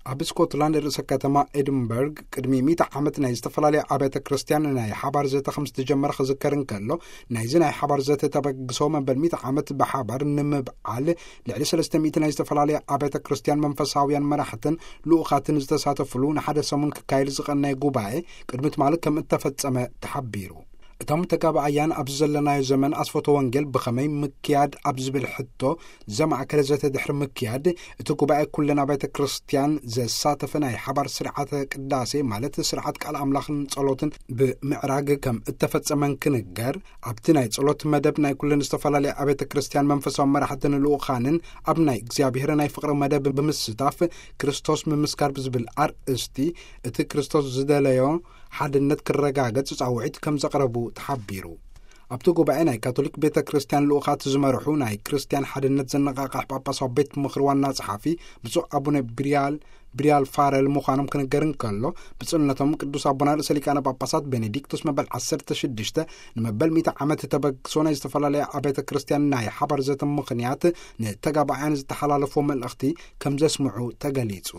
ኣብ ስኮትላንድ ርእሰ ከተማ ኤድንበርግ ቅድሚ ሚእቲ ዓመት ናይ ዝተፈላለያ ኣብያተ ክርስቲያን ናይ ሓባር ዘተ ከም ዝተጀመረ ክዝከር እንከሎ፣ ናይዚ ናይ ሓባር ዘተ ተበግሶ መበል ሚእቲ ዓመት ብሓባር ንምብዓል ልዕሊ ሰለስተ ሚእቲ ናይ ዝተፈላለያ ኣብያተ ክርስቲያን መንፈሳውያን መራሕትን ልኡኻትን ዝተሳተፍሉ ንሓደ ሰሙን ክካየድ ዝቐነየ ጉባኤ ቅድሚ ትማሊ ከም እተፈጸመ ተሓቢሩ። እቶም ተጋባኣያን ኣብዚ ዘለናዮ ዘመን ኣስፈቶ ወንጌል ብኸመይ ምክያድ ኣብ ዝብል ሕቶ ዘማእከለ ዘተ ድሕሪ ምክያድ፣ እቲ ጉባኤ ኩለን ኣብያተ ክርስቲያን ዘሳተፈ ናይ ሓባር ስርዓተ ቅዳሴ፣ ማለት ስርዓት ቃል ኣምላኽን ጸሎትን ብምዕራግ ከም እተፈጸመን ክንገር፣ ኣብቲ ናይ ጸሎት መደብ ናይ ኩለን ዝተፈላለያ ኣብያተ ክርስቲያን መንፈሳዊ መራሕትን ልኡኻንን ኣብ ናይ እግዚኣብሔር ናይ ፍቕሪ መደብ ብምስታፍ፣ ክርስቶስ ምምስካር ብዝብል ኣርእስቲ እቲ ክርስቶስ ዝደለዮ ሓድነት ክረጋገጽ ጻውዒት ከም ዘቕረቡ ተሓቢሩ። ኣብቲ ጉባኤ ናይ ካቶሊክ ቤተ ክርስቲያን ልኡኻት ዝመርሑ ናይ ክርስቲያን ሓድነት ዘነቓቕሕ ጳጳሳዊ ቤት ምኽሪ ዋና ጸሓፊ ብፁዕ ኣቡነ ብሪያል ብሪያል ፋረል ምዃኖም ክንገር እንከሎ፣ ብፁዕነቶም ቅዱስ ኣቦና ርእሰ ሊቃነ ጳጳሳት ቤኔዲክቶስ መበል ዓሰርተ ሽዱሽተ ንመበል ሚእቲ ዓመት ተበግሶ ናይ ዝተፈላለያ ኣብያተ ክርስቲያን ናይ ሓባር ዘተ ምኽንያት ንተጋባኣያን ዝተሓላለፎ መልእኽቲ ከም ዘስምዑ ተገሊጹ።